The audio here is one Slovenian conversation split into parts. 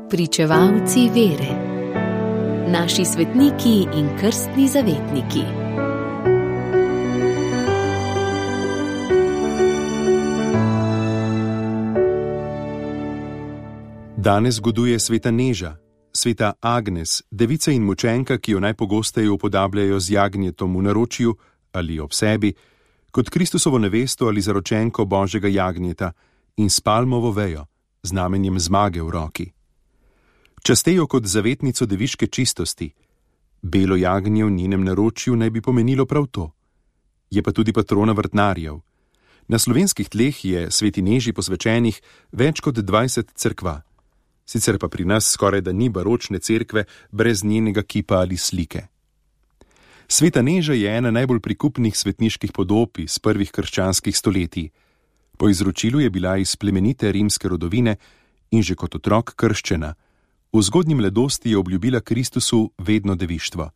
Pričevalci vere. Naši svetniki in krstni zavetniki. Danes zgoduje sveta Neža, sveta Agnes, devica in mučenka, ki jo najpogosteje upodabljajo z jagnjetom v naročju ali ob sebi, kot Kristusovo nevesto ali zaročenko Božjega jagnjeta in s palmovo vejo, znamenjem zmage v roki. Častejo kot zavetnico deviške čistosti. Belo jagnje v njenem naročju naj bi pomenilo prav to. Je pa tudi patrona vrtnarjev. Na slovenskih tleh je sveti Neži posvečenih več kot 20 cerkva. Sicer pa pri nas skoraj da ni baročne cerkve brez njenega kipa ali slike. Sveta Neža je ena najbolj prikupnih svetniških podob iz prvih krščanskih stoletij. Po izročilu je bila iz plemenite rimske rodovine in že kot otrok krščena. V zgodnji mladosti je obljubila Kristusu vedno devištvo.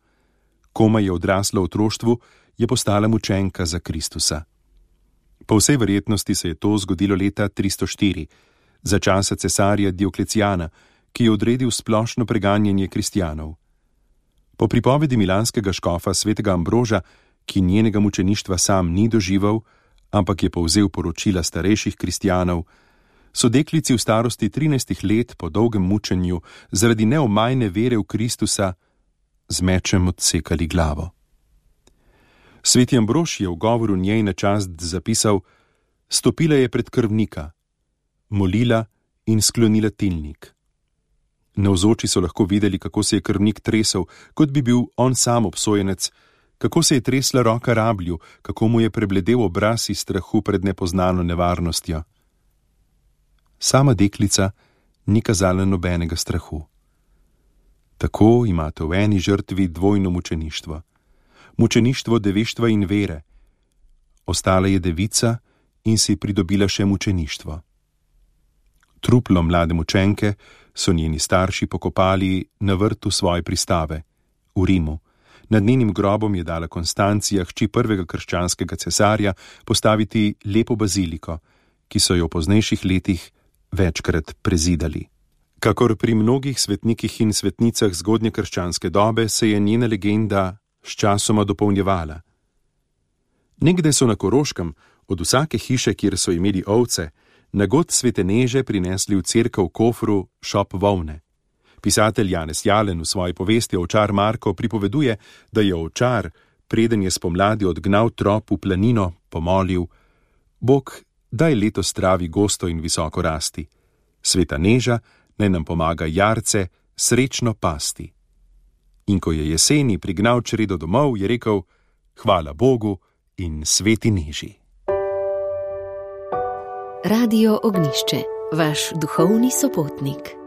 Komaj je odrasla v otroštvu, je postala mučenka za Kristusa. Po vsej verjetnosti se je to zgodilo leta 304, za časa cesarja Dioklecijana, ki je odredil splošno preganjanje kristjanov. Po pripovedi milanskega škofa svetega Ambroža, ki njenega mučeništva sam ni doživel, ampak je povzel poročila starejših kristjanov, so deklici v starosti 13 let po dolgem mučenju zaradi neomajne vere v Kristusa z mečem odsekali glavo. Sveti Ambrož je v govoru njej na čast zapisal: stopila je pred krvnika, molila in sklonila tilnik. Navzoči so lahko videli, kako se je krvnik tresel, kot bi bil on sam obsojenec, kako se je tresla roka rablju, kako mu je prebledel obraz iz strahu pred nepoznano nevarnostjo. Sama deklica ni kazala nobenega strahu. Tako imate v eni žrtvi dvojno mučeništvo. Mučeništvo devištva in vere. Ostala je devica in si pridobila še mučeništvo. Truplo mlade mučenke so njeni starši pokopali na vrtu svoje pristave, v Rimu. Nad njenim grobom je dala Konstancija, hči prvega krščanskega cesarja, postaviti lepo baziliko, ki so jo v poznejših letih večkrat prezidali. Kakor pri mnogih svetnikih in svetnicah zgodnje krščanske dobe se je njena legenda sčasoma dopolnjevala. Nekdaj so na Koroškem od vsake hiše, kjer so imeli ovce, na god svete Neže prinesli v cerkev kofru šop volne. Pisatelj Janez Jalen v svoji povesti Ovčar Marko pripoveduje, da je ovčar, preden je spomladi odgnal trop v planino, pomolil: Bog, daj letos travi gosto in visoko rasti. Sveta Neža naj nam pomaga jarce srečno pasti. In ko je jeseni prignal čredo domov, je rekel: hvala Bogu in sveti Neži. Radio Ognjišče, vaš duhovni sopotnik.